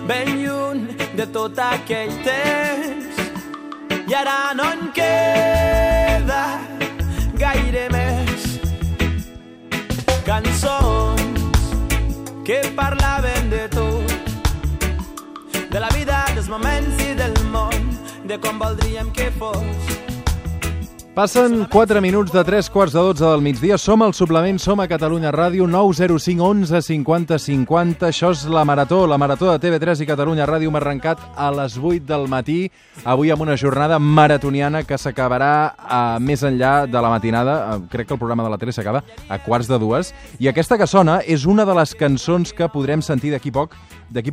ben lluny de tot aquell temps. I ara no en queda gaire més. Cançons que parlaven de tot, de la vida, dels moments i del món, de com voldríem que fos. Passen 4 minuts de 3:15 del migdia. Som al Suplement, som a Catalunya Ràdio, 905 11 50 50. Això és la Marató de TV3 i Catalunya Ràdio. Hem arrencat a les 8 del matí, avui amb una jornada maratoniana que s'acabarà més enllà de la matinada. Crec que el programa de la tele s'acaba a 1:45. I aquesta que sona és una de les cançons que podrem sentir d'aquí poc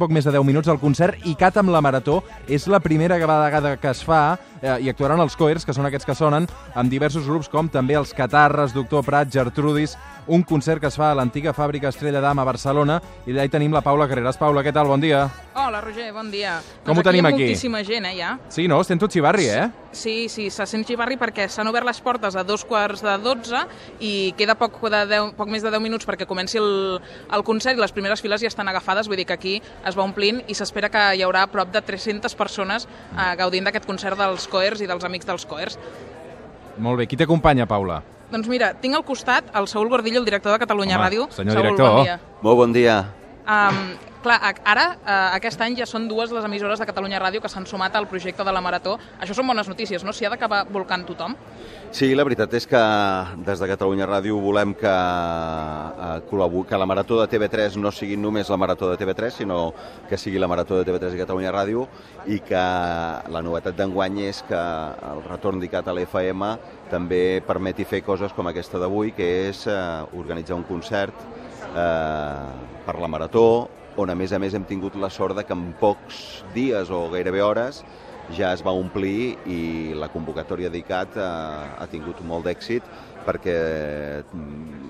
més de 10 minuts al concert ICAT amb la Marató. És la primera vegada que es fa i actuaran els Coers, que són aquests que sonen, amb diversos grups com també els Catarres, Doctor Prat, Gertrudis, un concert que es fa a l'antiga fàbrica Estrella d'Am a Barcelona, i allà hi tenim la Paula Carreras. Paula, què tal? Bon dia. Hola, Roger, bon dia. Com ho tenim aquí? Hi ha moltíssima gent, ja. Sí, no? Sento xivarri, Sí, se sent xivarri perquè s'han obert les portes a 11:45 i queda poc més de 10 minuts perquè comenci el concert i les primeres files ja estan agafades, vull dir que aquí es va omplint i s'espera que hi haurà prop de 300 persones gaudint d'aquest concert dels Coers i dels amics dels Coers. Molt bé. Qui t'acompanya, Paula? Doncs mira, tinc al costat el Saúl Gordillo, el director de Catalunya Ràdio. Senyor Saúl, director. bon dia. Molt bon dia. Clar, ara, aquest any ja són 2 les emissores de Catalunya Ràdio que s'han sumat al projecte de la Marató. Això són bones notícies, no? S'hi ha d'acabar volcant tothom. Sí, la veritat és que des de Catalunya Ràdio volem que la Marató de TV3 no sigui només la Marató de TV3, sinó que sigui la Marató de TV3 i Catalunya Ràdio, i que la novetat d'enguany és que el retorn d'ICAT a l'FM també permeti fer coses com aquesta d'avui, que és organitzar un concert per la Marató, on a més hem tingut la sort de que en pocs dies o gairebé hores ja es va omplir i la convocatòria d'ICAT ha tingut molt d'èxit perquè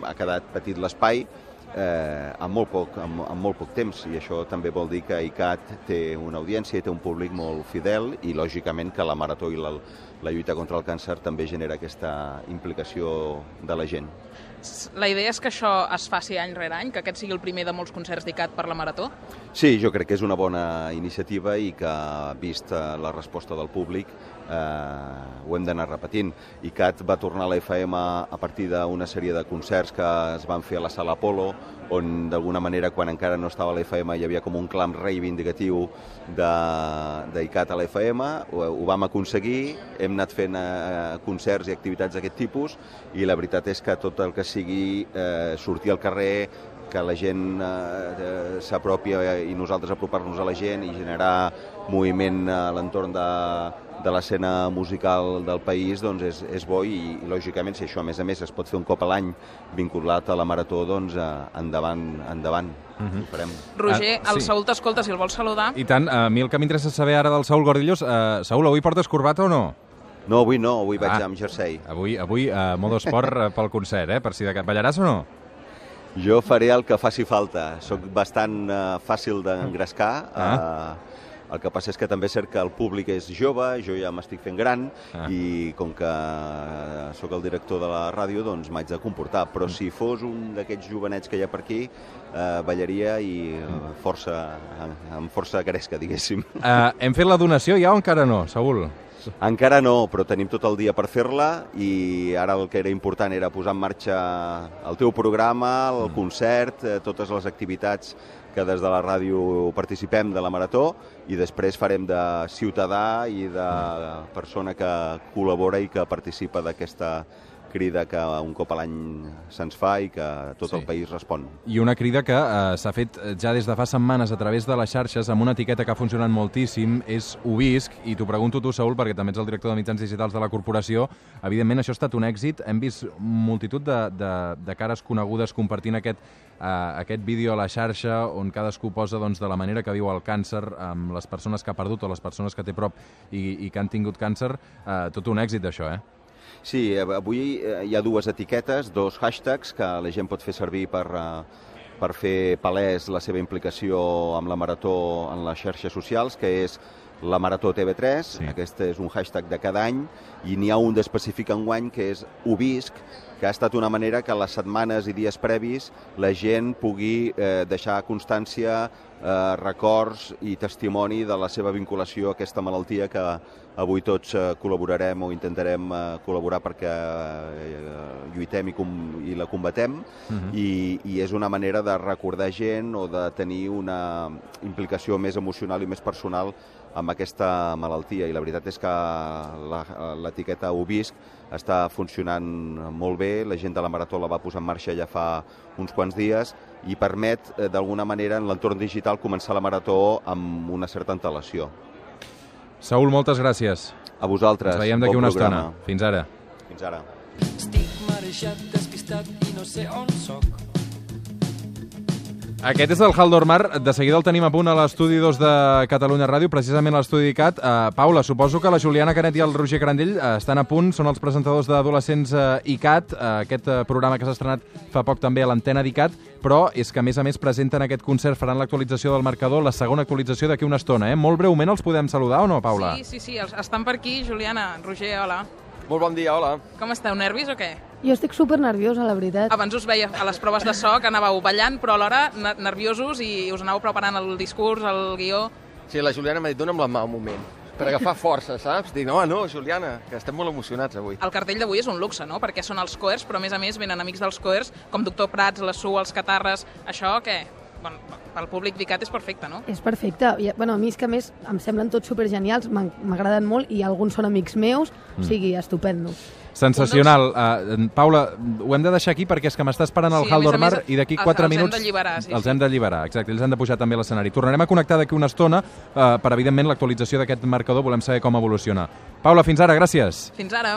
ha quedat petit l'espai en molt poc temps, i això també vol dir que ICAT té una audiència i té un públic molt fidel, i lògicament que la Marató i la lluita contra el càncer també genera aquesta implicació de la gent. La idea és que això es faci any rere any, que aquest sigui el primer de molts concerts d'ICAT per la Marató? Sí, jo crec que és una bona iniciativa i que, vist la resposta del públic, ho hem d'anar repetint. ICAT va tornar a la FM a partir d'una sèrie de concerts que es van fer a la Sala Apolo, on d'alguna manera, quan encara no estava a la FM, hi havia com un clam reivindicatiu d'ICAT a la FM. Ho vam aconseguir, hem anat fent concerts i activitats d'aquest tipus, i la veritat és que tot el que sigui sortir al carrer, que la gent s'apropi i nosaltres apropar-nos a la gent i generar moviment a l'entorn de l'escena musical del país, doncs és bo, i lògicament si això a més es pot fer un cop a l'any vinculat a la Marató, doncs endavant, ho farem. Roger, el Saúl t'escolta, si el vols saludar. I tant, a mi el que m'interessa saber ara del Saúl Gordillos, Saúl, avui portes corbata o no? No, avui no, avui vaig amb jersei. Avui modo esport pel concert, per si de cap ballaràs o no? Jo faré el que faci falta. Soc bastant fàcil d'engrescar. El que passa és que també és cert que el públic és jove, jo ja m'estic fent gran, i com que sóc el director de la ràdio, doncs m'haig de comportar. Però si fos un d'aquests jovenets que hi ha per aquí, ballaria i amb força gresca, diguéssim. Hem fet la donació ja o encara no, Saúl? Encara no, però tenim tot el dia per fer-la, i ara el que era important era posar en marxa el teu programa, el concert, totes les activitats que des de la ràdio participem de la Marató, i després farem de ciutadà i de persona que col·labora i que participa d'aquesta crida que un cop a l'any se'ns fa i que tot el país respon. I una crida que s'ha fet ja des de fa setmanes a través de les xarxes amb una etiqueta que ha funcionat moltíssim, és Ho visc, i t'ho pregunto tu, Saúl, perquè també ets el director de mitjans digitals de la corporació. Evidentment, això ha estat un èxit. Hem vist multitud de cares conegudes compartint aquest vídeo a la xarxa on cadascú posa de la manera que viu el càncer amb les persones que ha perdut o les persones que té prop i que han tingut càncer. Tot un èxit, això, Sí, avui hi ha 2 etiquetes, 2 hashtags que la gent pot fer servir per fer palès la seva implicació amb la Marató en les xarxes socials, que és la Marató TV3, Sí. aquest és un hashtag de cada any, i n'hi ha un d'específic enguany que és Ho visc, que ha estat una manera que les setmanes i dies previs la gent pugui deixar constància, records i testimoni de la seva vinculació a aquesta malaltia que avui tots col·laborarem o intentarem col·laborar perquè lluitem i la combatem, i és una manera de recordar gent o de tenir una implicació més emocional i més personal amb aquesta malaltia, i la veritat és que l'etiqueta Ho visc està funcionant molt bé, la gent de la Marató la va posar en marxa ja fa uns quants dies i permet d'alguna manera en l'entorn digital començar la Marató amb una certa antelació. Saúl, moltes gràcies. A vosaltres. Ens veiem d'aquí una programa. estona. Fins ara. Fins ara. Estic marejat, despistat i no sé on soc. Aquest és el Haldor Mar. De seguida el tenim a punt a l'estudi 2 de Catalunya Ràdio, precisament a l'estudi ICAT. Paula, suposo que la Juliana Canet i el Roger Crandell estan a punt, són els presentadors d'Adolescents ICAT, aquest programa que s'ha estrenat fa poc també a l'antena d'ICAT, però és que a més presenten aquest concert, faran l'actualització del marcador, la segona actualització d'aquí una estona. Molt breument els podem saludar o no, Paula? Sí, estan per aquí. Juliana, Roger, hola. Molt bon dia, hola. Com esteu, nervis o què? Jo estic super nerviosa, la veritat. Abans us veia a les proves de so que anàveu ballant, però alhora nerviosos i us anàveu preparant el discurs, el guió. Sí, la Juliana m'ha dit, dona'm la mà un moment, per agafar força, saps? Dic, no, Juliana, que estem molt emocionats avui. El cartell d'avui és un luxe, no? Perquè són els Coers, però a més venen amics dels Coers, com Doctor Prats, la Su, els Catarres. Això, què? Bueno, pel públic d'ICAT és perfecte, no? És perfecte. A mi és que a més em semblen tots supergenials, m'agraden molt i alguns són amics meus, o sigui, estupendo. Sensacional. Paula, ho hem de deixar aquí perquè és que m'està esperant el Haldor Mar i d'aquí 4 minuts els hem d'alliberar. Els hem d'alliberar, exacte, els hem de pujar també a l'escenari. Tornarem a connectar d'aquí una estona per, evidentment, l'actualització d'aquest marcador. Volem saber com evoluciona. Paula, fins ara, gràcies. Fins ara.